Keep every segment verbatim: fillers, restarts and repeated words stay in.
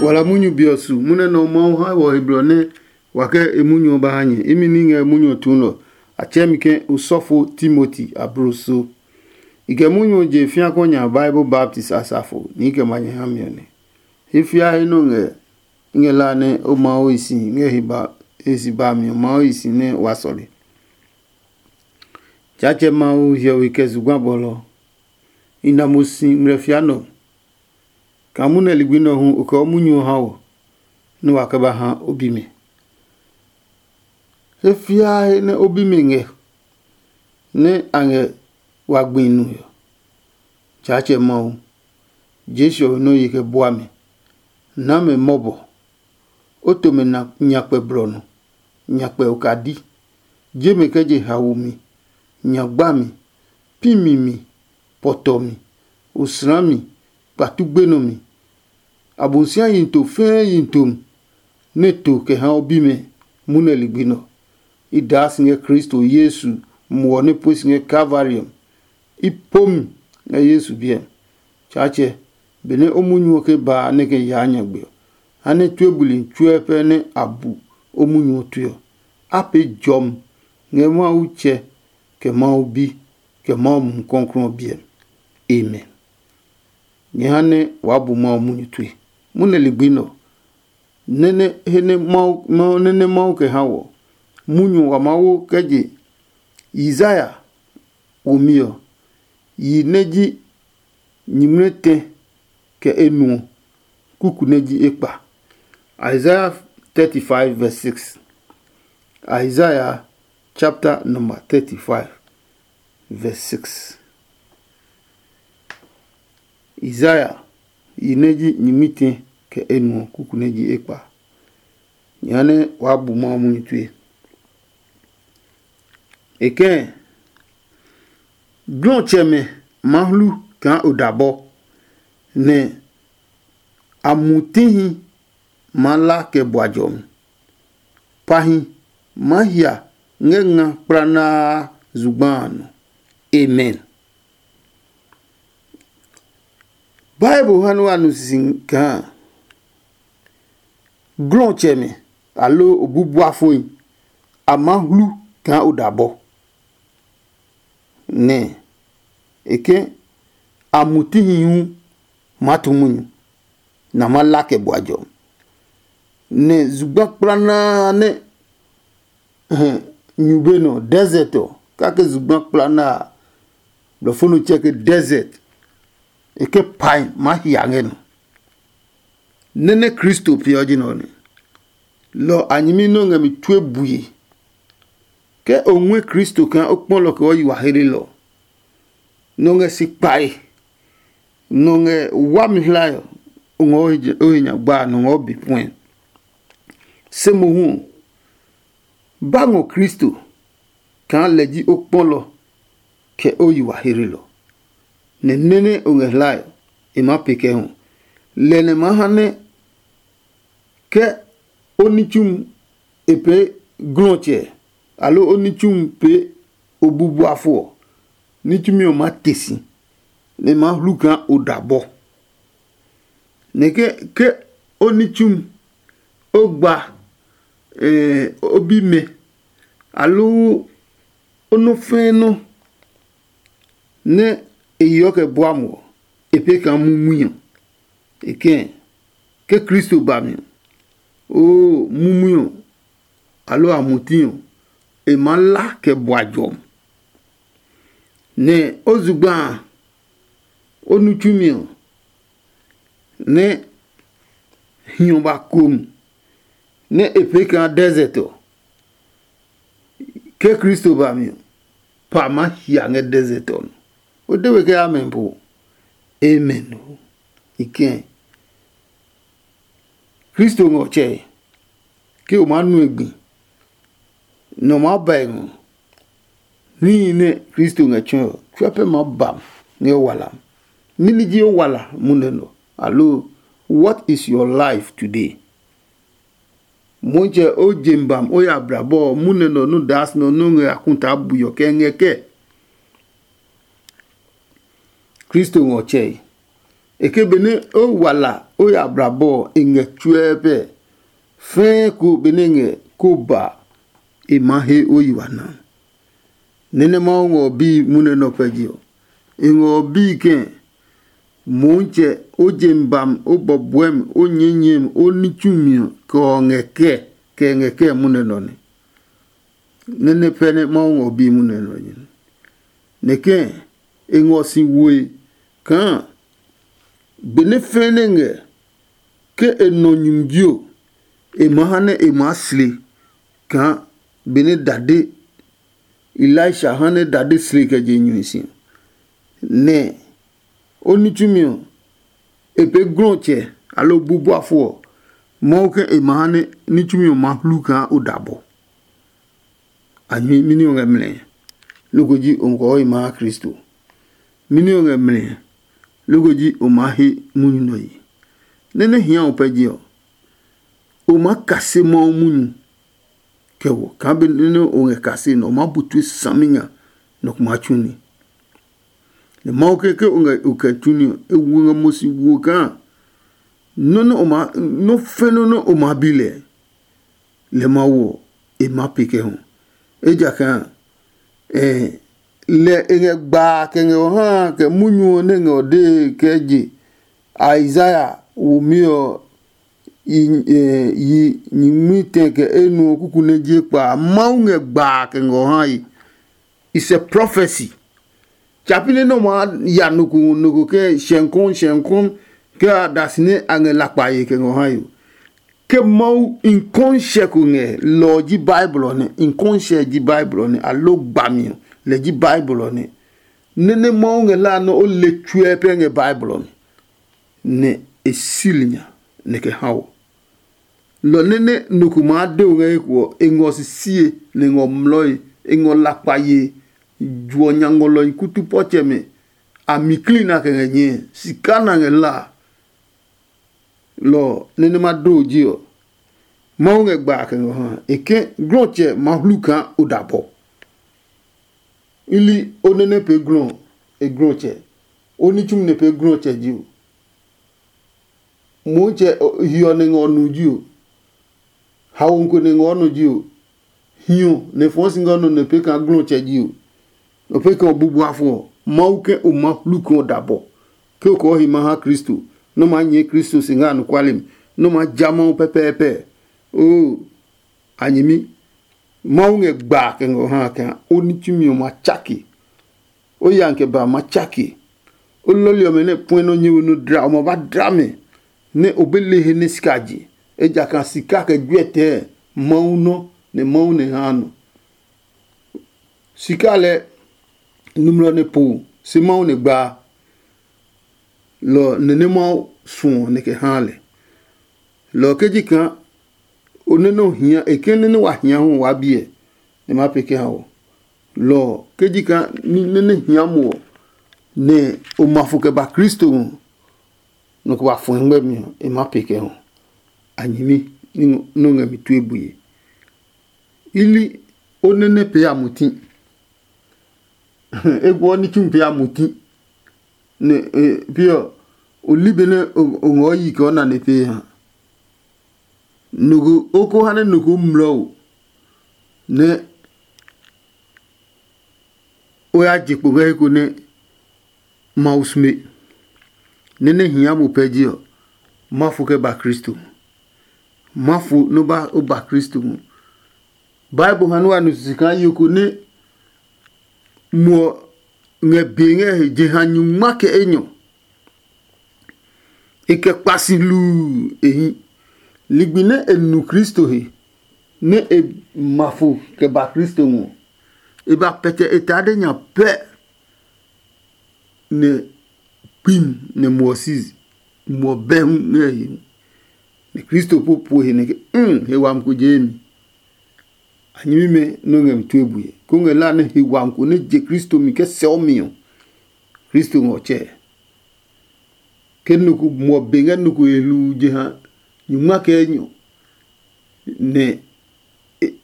Wala munyu be ɔ su munɛ nɛ ɔ Mawu ha wɔ he blɔ nɛ wa kɛ e munyu ɔ ba ha nyɛ. Imi ní ngɛ munyu ɔ tuu nɛ ɔ, a tsɛɛ mi ke osɔfo Timoti abloso. I kɛ munyu ɔ je fiakɔ nya Bible baptis asafo ni i kɛ ma nyɛ ha mi ɔ nɛ. He fiae nɔ ngɛ i ngɛ la nɛ o Mawu hi si ngɛ he ba he si ba mi ɔ Mawu hi si nɛ wa sɔle. Tsaatsɛ Mawu hiɔwe kɛ zugba bɔlɔ. I na mo si ngmlɛfia nɔ. Kaa munɛ ligbi nɛ ɔ hu o kɛ o munyu ɔ ha wɔ, nɛ wa kɛ ba ha o bimɛ. He fiaa he nɛ o bimɛ ngɛ, nɛ a ngɛ wa gbi nu ɔ, Tsaatsɛ Mawu, Jesu ɔ we nɔ́ ye kɛ bua mɛ, naa mɛ mɔbɔ. O to mɛ na nyakpɛ blɔ nɔ, nyakpɛ okadi, je mɛ kɛ je haomi, nyagbami, pimi mi, pɔtɔmi, osrami, kpatu gbenɔmi. Abosiami yi to fɛɛ yi to nɛ to kɛ ha o bimɛ munɛ ligbi nɛ ɔ. I daa si ngɛ Kristo Yesu muɔ nɛ pue si ngɛ Kalvari ɔ. I po mi ngɛ Yesu biɛ. Tsaatsɛ, benɛ o munyu ɔ ke ba a nɛ kɛ yaa nyagbe ɔ, ha nɛ tue buli tsuɛ pɛ nɛ a bu o munyu ɔ tue ɔ, a pee jɔmi ngɛ Mawu Tsɛ, kɛ Mawu Bi, kɛ Mawu Mumi Klɔuklɔu ɔ biɛ. Amen. Nyɛ ha nɛ waa bu Mawu munyu tue. Munɛ ligbi nɛ ɔ, nɛ́ nɛ he nɛ Mawu nɛ́ nɛ Mawu kɛ ha wɔ. Munyu ɔ wa Mawu kɛ je Yisaya womi ɔ, yi nɛ ji nyingmlɛtɛ kɛ enuɔ, kuku nɛ ji ekpa. Isaiah thirty-five verse six. Isaiah chapter number thirty-five verse six. Isaiah yi nɛ ji nyingmitɛ kɛ enuɔ kuku nɛ ji ekpa. Jehanɛ waa bu Mawu munyu tue. E kɛ̃, glɔtsɛmɛ maa hlu kaa odabɔ, nɛ a mutihi maa la kɛ bua jɔmi. Pahi maa hia ngɛ nga kplanaa zugba a nɔ. Amen. Bible ha nɛ wa nu sisi kaa glɔtsɛmɛ aloo obubuafoi a maa hlu kaa odabɔ, nɛ e ke a mutihi hu maa tu munyu, nɛ a maa la kɛ bua jɔ. Nɛ zugba kplanaa nɛ hɛ nyu be nɔ, desert ɔ, kake zugba kplanaa a, blɔfo nɔ tsɛ ke desert, e ke pai maa hia ngɛ nɔ. Nɛ́ nɛ Kristo peeɔ ji nɛ ɔ nɛ. Lɔ a nyɛmi nɛ o ngɛ mi tue bue. Ke o ngui Kristo kaa o kpɔ lɔ kɛ o yi wa hlelɔ, nɛ o ngɛ si kpae, nɛ o ngɛ wami hlae ɔ, o ngɔ o he nya gba a, nɛ o ngɔ o be puɛ. Se mohu ɔ, ba ngɔ Kristo kaa lɛ ji o kpɔlɔ kɛ o yi wa hlelɔ, nɛ nɛ́ nɛ o ngɛ hlae ɔ, e maa pee kɛ hu. Lɛ nɛ maa ha nɛ ke o ní tsumi e pee glɔtsɛ, aloo o ní tsumi pee o bubuafo ɔ, ní tsumi ɔ maa te si, nɛ e maa hlu kaa o dabɔ. Nɛ ke ke o ní tsumi, o gba o bimɛ, aloo o nɔ fɛɛ nɔ nɛ e yeɔ kɛ bua mo ɔ, e pee kaa mumuiɔ. E kɛ̃, ke Kristo ba mi ɔ, oo, mumuiɔ, aloo a muti ɔ, e maa la kɛ bua jɔmi. Nɛ o zugba a, o nu tsumi ɔ, nɛ hiɔ ba kom, nɛ e pee kaa desert ɔ, ke Kristo ba mi ɔ, pa maa hia ngɛ desert ɔ nɔ. O de we ke amen po? Amen o. I kɛ̃. Kristo ngɛ ɔ tsɛe, ke o maa nu e gbi, nɛ o maa ba e ngɔ. Níhi nɛ Kristo ngɛ tsɔɔe ɔ, tsuɛ pɛ maa ba ngɛ o wala. Mɛni ji o wala munɛ nɔ? Aloo, what is your life today? Motsɛ o je bam o ya blabɔ ɔ, munɛ nɔ nɔ daa si nɔ nɔ ngɛ a kuta buyɔ kɛ ngɛ kɛ? Kristo ngɔ tsɛe. E ke benɛ o wa la o ya blabɔ ɔ, e ngɛ tsuɛɛ pɛ. Fɛɛ ko benɛ e ngɛ ko ba a, e maa he o yi wa na. Nɛ nɛ Mawu ngɔ ɔ bíi munɛ nɛ ɔ pɛ je ɔ, e ngɔ ɔ bíi kɛ̃. Moonsɛ, o jem bami, o bɔbɔɛmi, o nyɛɛnyɛɛmi, o ní tsumi ɔ, kɛ ɔ ngɛ kɛɛ, kɛ e ngɛ kɛɛ munɛ nɛ ɔ nɛ. Nɛ nɛ pɛ nɛ Mawu ngɔ bíi munɛ nɛ ɔ ji nɛ. Nɛ kɛ̃ e ngɔ si woe kaa benɛ fɛ̃ nɛ ngɛ ke e nɔ nyumi ji ɔ, e maa ha nɛ e maa sle kaa benɛ dade Elisha ha nɛ dade sle kɛ je nyuhi si. Nɛ o ní tsumi ɔ, e pee glɔtsɛ aloo bu bɔfo ɔ, Mawu ke e ma ha nɛ ní tsumi ɔ ma hlu kaa o da bɔ. A nyuhi mɛni ɔ ngɛ mlɛ? Loko ji o kɔɔ e ma ha Kristo. Mɛni ɔ ngɛ mlɛ? Loko ji o ma he munyu nɔ yi. Nɛ nɛ hia o pɛ je ɔ, o ma kase Mawu munyu kɛ wɔ kaa be nɛ o ngɛ kase nɛ o ma bu tue saminya nɔ ko ma tsu ni. Nɛ Mawu ke ke o ngɛ o kɛ tsu ni ɔ, e wu ngɛ mo si wo kaa nɔ́ nɛ o ma nɔ́ fɛ́ nɔ́ nɛ o ma bi lɛ. Lɛ Mawu ɔ, e ma pe kɛ hu. Ejakaa eh, lɛ e ngɛ gbaa kɛ ngɛ o ha kɛ munyu ɔ nɛ ngɛ o dee kɛ je Isaiah womi ɔ yi nyingmi tɛ kɛ enu ɔ kuku nɛ je kpa. Mawu ngɛ gbaa kɛ ngɛ o hae. It's a prophecy. Tsa pi nɛ nɛ o maa ya nɔ ko nɔ ko kɛ shɛnkɔn shɛnkɔn kɛ a da si nɛ a ngɛ lakpa ye kɛ ngɛ o hae ɔ, ke Mawu nkɔnhyɛ ko ngɛ, lɔ ɔ ji Bible ɔ nɛ. Nkɔnhyɛ ji Bible ɔ nɛ, aloo gbami ɔ, lɛ ji Bible ɔ nɛ. Nɛ nɛ Mawu ngɛ hlaa nɛ o le tsuɛ pɛ ngɛ Bible ɔ mi, nɛ e sili nya nɛ kɛ ha wɔ. Lɔ nɛ nɛ nɔ ko maa de o ngɛ he ko ɔ, e ngɔ sisie, nɛ e ngɔ mlɔe, e ngɔ lakpa yee, juɔ nya ngɔlɔhi kutu pɔtsɛmɛ a mi kli na kɛ ngɛ nyɛɛ, sika na ngɛ hlaa. Lɔ ɔ nɛ nɛ ma do ji ɔ, Mawu ngɛ gba kɛ ngɔ ha e ke glɔtsɛ ma hlu kaa o da bɔ. I li o nɛ nɛ pee glɔ e glɔtsɛ, o ní tsumi nɛ pee glɔtsɛ ji o. Motsɛ hiɔ nɛ ngɛ o nu ji o, haomi ko nɛ ngɛ o nɔ ji o, hiɔ nɛ fɔɔ si ngɛ o nɔ nɛ pee kaa glɔtsɛ ji o. Nɔ pee kaa o bu bua fɔ ɔ, Mawu ke o ma hlu kaa o da bɔ, ke o kɔɔ he ma ha Kristo, nɛ o maa nyɛɛ Kristo si ngɛ anɔkuale mi, nɛ o maa ja Mawu pɛpɛɛpɛ. Oo, a nyɛmi, Mawu ngɛ gbaa kɛ ngɛ o ha kaa o ní tsumi ɔ ma tsake. O ya kɛ ba ma tsake. O lɔli ɔmɛ nɛ puɛ nɔ nyɛ we nɔ dla ɔmɛ ba dla mɛ, nɛ o be le he nɛ sika je, ejakaa sika kɛ juɛtɛɛ Mawu nɔ, nɛ Mawu nɛ haa nɔ. Sika lɛ numlɔ nɛ po se Mawu nɛ gbaa, lɔ nɛ nɛ Mawu suɔ nɛ kɛ haa lɛ. Lɔ ɔ ke ji kaa o nɛ nɛ o hia e ke nɛ nɛ wa hia hu waa biɛ, nɛ ma pee kɛ ha wɔ. Lɔ ɔ ke ji kaa nɛ nɛ hia mo ɔ, nɛ o ma fo kɛ ba Kristo ngɔ, nɔ ko ba fɔ̃ ngmɛmi ɔ, e ma pee kɛ hu. A nyɛmi nɛ o ngɛ mi tue bue. I li o nɛ nɛ pee a muti. E guɔ ní tsu pee a muti. Nɛ e pee ɔ, o li benɛ o ngɔɔ yi kɛ o na nɛ pee ha. Nɔ ko o ko ha nɛ nɔ ko mlɔ o, nɛ o ya je kpo ngɛ he ko nɛ Mawu sume. Nɛ nɛ hia mo pɛ ji ɔ, ma fo kɛ ba Kristo. Ma fo nɛ o ba o ba Kristo ngɔ. Bible ha nɛ wa nu sisi kaa yo ko nɛ muɔ ngɛ be ngɛ he jeha nyungma kɛ enyɔ. E kɛ kpa si hluu e hi. Ligbi nɛ e nu Kristo he, nɛ e ma fo kɛ ba Kristo ngɔ, e ba pɛtɛ e tade nya pɛ, nɛ kpim nɛ muɔ si muɔ bɛ hu ngɛ e he. Nɛ Kristo po puo he nɛ ke, um he wami ko jee mi. A nyɛmimɛ nɛ o ngɛ mi tue bue, koo ngɛ la nɛ he wami ko nɛ je Kristo mi kɛ sɛɔ mi ɔ, Kristo ngɛ ɔ tsɛɛ. Ke nɔ ko muɔ be ngɛ nɔ ko he hluu jeha nyungma kɛ enyɔ, nɛ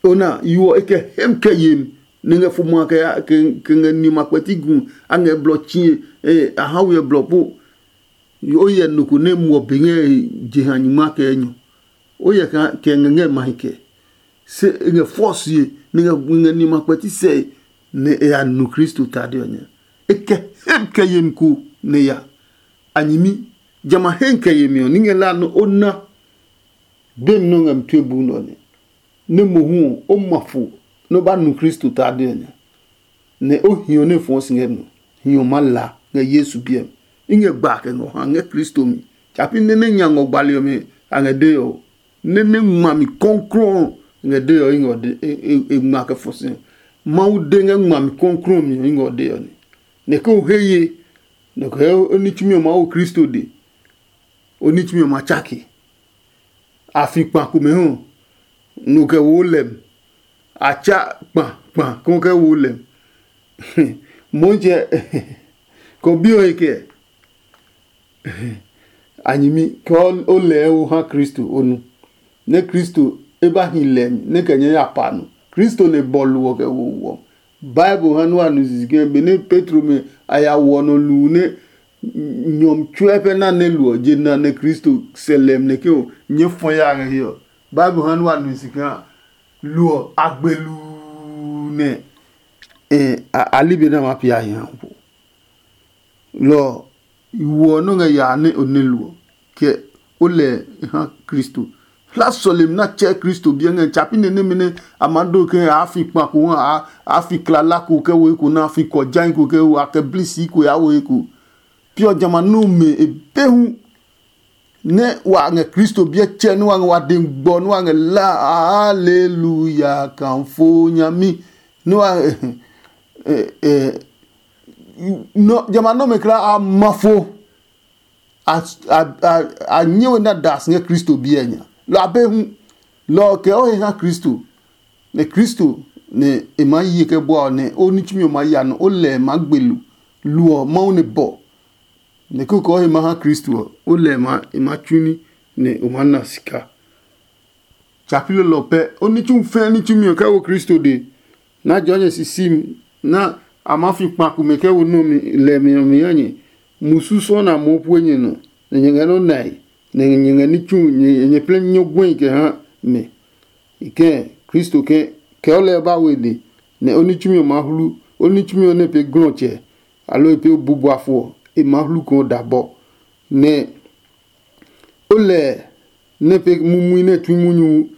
ona yo ɔ e kɛ hem kɛ yemi, nɛ ngɛ fo ma kɛ ngɛ nima kpɛti gu, a ngɛ blɔ tsie, a ha we blɔ po. O hyɛ nɔ ko nɛ muɔ be ngɛ jeha nyuma kɛ enyɔ. O hyɛ kɛ ngɛ ngɛ mahi kɛ. Se e ngɛ fɔsie nɛ ngɛ ngɛ ni ma kpɛti sɛ nɛ e ya nu Kristo tade ɔ nya. E kɛ hem kɛ yemi ko nɛ ya. A nyɛmi, jamɛ a hemi kɛ yemi ɔ, ní ngɛ la nɛ o na. Be mi nɛ o ngɛ mi tue bu nɛ ɔ nɛ, nɛ mohu ɔ, o ma fo nɛ o ba nu Kristo tade ɔ nya, nɛ o hiɔ nɛ fɔɔ si ngɛ nɔ. Hiɔ maa la ngɛ Yesu biɛ mi. I ngɛ gba kɛ ngɔ ha ngɛ Kristo mi. Tsapi nɛ nɛ nya ngɔ gbali ɔmɛ a ngɛ dee ɔ, nɛ nɛ ngma mi kɔnklɔɔ ngɛ dee ɔ, i ngɛ e ngma kɛ fɔ si. Mawu de ngɛ ngma mi kɔnklɔɔ mi ɔ, i ngɛ dee ɔ nɛ. Nɛ ke o he ye, nɛ o kɛ o ní tsumi ɔ Mawu Kristo de, o ní tsumi ɔ ma tsake. A fi kpa komɛ hu, nu kɛ wo lɛm. A tsa kpa kpa ko kɛ wo lɛm. Motsɛ, ko bi o he kɛ? A nyɛmi, ke o lɛɛ o ha Kristo o nu, nɛ Kristo e ba hi lɛɛ mi nɛ kɛ nyɛ ya pa nɔ. Kristo nɛ bɔlu ɔ kɛ wo wɔ. Bible ha nua nu sisi ke benɛ Petro mɛ a ya wɔ nɔ luu nɛ nyɔmi tsuɛ pɛ na nɛ luɔ je na nɛ Kristo sɛ lɛm nɛ ke o nyɛ fɔ ya ngɛ hiɛ ɔ. Bible ha nua nu sisi ke luɔ a gbe luu nɛ a libe nɛ a ma pia hi ha po. Lɔ ɔ, i woɔ nɔ́ ngɛ yaa nɛ o nɛ lo ɔ, kɛ o lɛ ha Kristo. Hla sɔlemi nɛ a tsɛɛ Kristo biɛ ngɛ tsapi nɛ nɛmɛ nɛ a maa do ke a fi kpa ko hu, a fi klala ko kɛ wo eko nɛ a fi kɔjai ko kɛ wo, a kɛ bli sii ko ya wo eko. Pi ɔ jamɛ a nɔ́ mɛ e be hu nɛ wa ngɛ Kristo biɛ tsɛ nɛ wa ngɛ wa de gbɔ nɛ wa ngɛ la, haleluya, kanfo nyami nɛ wa nɔ jamɛ a nɔmɛ kla a ma fo. A nyɛ we na das ngɛ Kristo biɛ nya lɔ a be hu. Lɔ ɔ kɛ o he ha Kristo, nɛ Kristo nɛ e maa yi kɛ bua ɔ nɛ o ní tsumi ɔ maa ya nɔ o lɛ maa gbe lu lu ɔ Mawu nɛ bɔ. Nɛ kókó ɔ he ma ha Kristo ɔ, o lɛ ma e ma tsu ní nɛ o maa na sika. Tsa pi lolɔ pɛ, o ní tsu fɛɛ ní tsumi ɔ kɛ wo Kristo de. Na jɔ nyɛ sisi mi na a maa fi kpa komɛ kɛ wo nɔ́ mi lɛ mi ɔ mi ha nyɛ. Musu sɔ na moo pue nyɛ nɔ, nɛ nyɛ ngɛ nɔ́ nae, nɛ nyɛ ngɛ ní tsu nyɛ plɛ nyɔ gbɔi kɛ ha mɛ. I kɛɛ Kristo ke kɛ o lɛ ba we de, nɛ o ní tsumi ɔ maa hlu, o ní tsumi ɔ nɛ pee glɔtsɛ, aloo e pee bubuafo ɔ, e maa hlu kaa o da bɔ. Nɛ o lɛ nɛ pee mumui nɛ tui munyu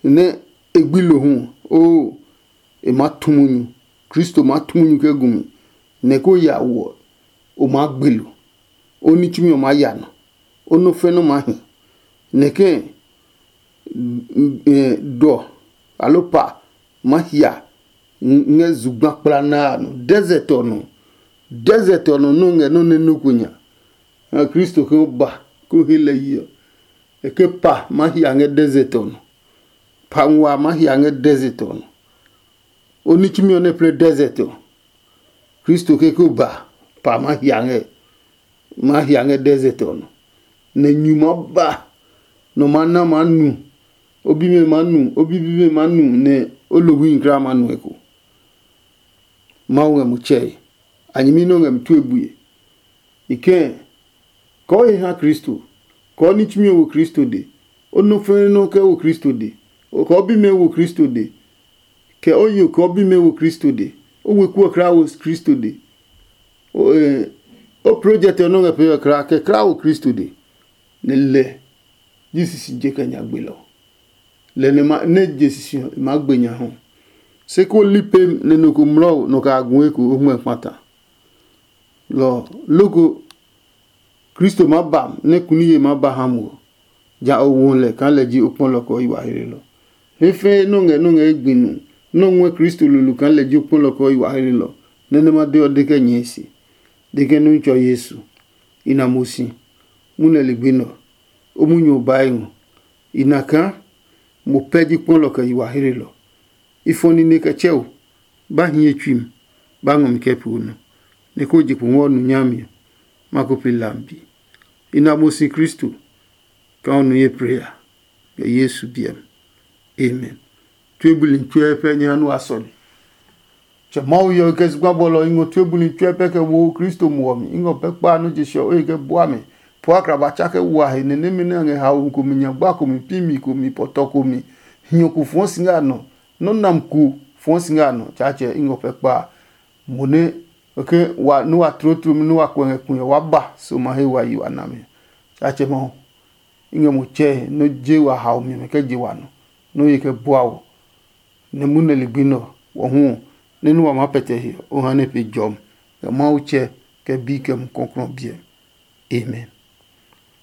nɛ e gbi lo hu, oo, e maa tu munyu. Kristo maa tu munyu kɛ gu mi, nɛ ko ya wo ɔ, o maa gbe lo. O ní tsumi ɔ maa ya nɔ, o nɔ́ fɛ nɔ́ maa hi. Nɛ ke dɔ aloo pa maa hia ngɛ zugba kpla nɛ a nɔ, desert ɔ nɔ. Desert ɔ nɔ nɔ́ ngɛ nɔ́ nɛ nɔ́ ko nya. Kristo ke o ba ko he lɛ yi ɔ, e ke pa maa hia ngɛ desert ɔ nɔ. Pa nguaa maa hia ngɛ desert ɔ nɔ. O ní tsumi ɔ nɛ plɛ desert ɔ, Kristo ke ko ba pa maa hia ngɛ maa hia ngɛ desert ɔ nɔ, nɛ nyu maa ba, nɔ maa na maa nu, o bimɛ maa nu, o bibimɛ maa nu, nɛ o lohwi kra maa nu eko. Mawu ngɛ mo tsɛe, a nyɛmi nɛ o ngɛ mi tue bue. I kɛɛ, kɔɔ he ha Kristo, kɔɔ ní tsumi ɔ wo Kristo de, o nɔ fɛ̃ɛ nɔ kɛ wo Kristo de, kɔɔ bimɛ wo Kristo de, kɛ o yo kɔɔ bimɛ wo Kristo de, o weku ɔ kra wo Kristo de. O project ɔ nɔ ngɛ pee ɔ kra kɛ kra wo Kristo de, nɛ lɛ ji sisi je kɛ nya gbe lɔ. Lɛ nɛ ma nɛ je sisi ɔ ma gbe nya hɔ. Se ko li pem nɛ nɔ ko mlɔ nɔ ka gu eko o ngmɛ kpata. Lɔ loko Kristo ma ba nɛ kuni ye ma ba ha mo. Ja o wo lɛ kaa lɛ ji o kpɔlɔ kɛ o yi wa hlelɔ. He fɛɛ nɔ ngɛ nɔ ngɛ e gbi nu nɔ ngɔɛ Kristo lulu kaa lɛ ji o kpɔlɔ kɛ o yi wa hlelɔ. Nɛ nɛ ma de ɔ de kɛ nyɛɛ se, de kɛ nu tsɔ Yesu. I na mo si, mu nɛ ligbi nɛ ɔ, o munyu ɔ bae ngɔ. I na kaa mo pɛ ji kpɔlɔ kɛ yi wa hlelɔ. I fɔ nine kɛ tsɛ o, ba hiɛ tsui mi, ba ngɔ mi kɛ pee o nɔ, nɛ ko je kpo ngɔ nu nyami ɔ, ma ko pe lambi. I na mo si Kristo kaa o nu ye pre ya, kɛ Yesu biɛ mi. Amen. Tue buli tsuɛ pɛ nyɛ ha nu a sɔle. Tsɛ Mawu yɔ kɛ zugba bɔlɔ i ngɔ tue buli tsuɛ pɛ kɛ wo Kristo muɔ mi. I ngɔ pɛ kpa nɔ je sɔ oye kɛ bua mi. Pua kra ba tsa kɛ wa he nɛ nɛmɛ nɛ a ngɛ haomi komi, nyagba komi, pimi komi, pɔtɔ komi, hiɔ ko fɔɔ si ngɛ a nɔ, nɔ́ nam ko fɔɔ si ngɛ a nɔ. Tsaatsɛ, i ngɔ pɛ kpa a. Mo nɛ ke wa nú wa tlotlomi nú wa kuɛ ngɛ kue ɔ, wa ba so ma he wa yi wa nami. Tsaatsɛ Mawu, i ngɛ mo tsɛe nɔ́ je wa haomi ɔmɛ kɛ je wa nɔ, nɔ́ ye kɛ bua wɔ, nɛ munɛ ligbi nɛ ɔ, wɔ hu ɔ, nɛ nú wa maa pɛtɛ he ɔ, o ha nɛ pe jɔmi, kɛ Mawu tsɛ, kɛ Bi, kɛ Mumi Klɔuklɔu ɔ biɛ. Amen.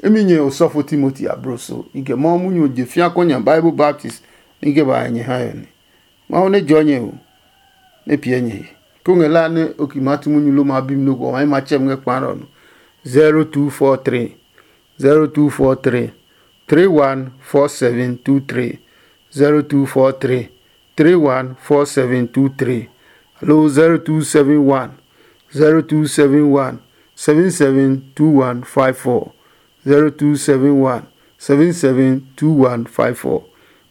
Imi nyɛ osɔfo Timoti abloso, i kɛ Mawu munyu ɔ je fia kɔ nya Bible baptist nɛ i kɛ ba ngɛ nyɛ hae ɔ nɛ. Mawu nɛ jɔ nyɛ o, nɛ piɛ nyɛ he. Ko ngɛ la nɛ o ki maa tu munyu lo ma bi mi nɔ́ ko ɔ, ma tsɛ mi ngɛ kpa nɛ ɔ nɔ. zero two four three, zero two four three, three one four seven two three, zero two four three, three one four seven two three, aloo zero two seven one, zero two seven one, seven seven two one five four, zero two seven one, seven seven two one five four.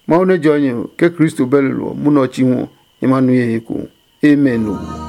Mawu nɛ jɔ nyɛ ɔ, ke Kristo bɛ lolo ɔ, munɔ ɔ chi hu ɔ, nyɛ ma nu ye he eko. Amen o.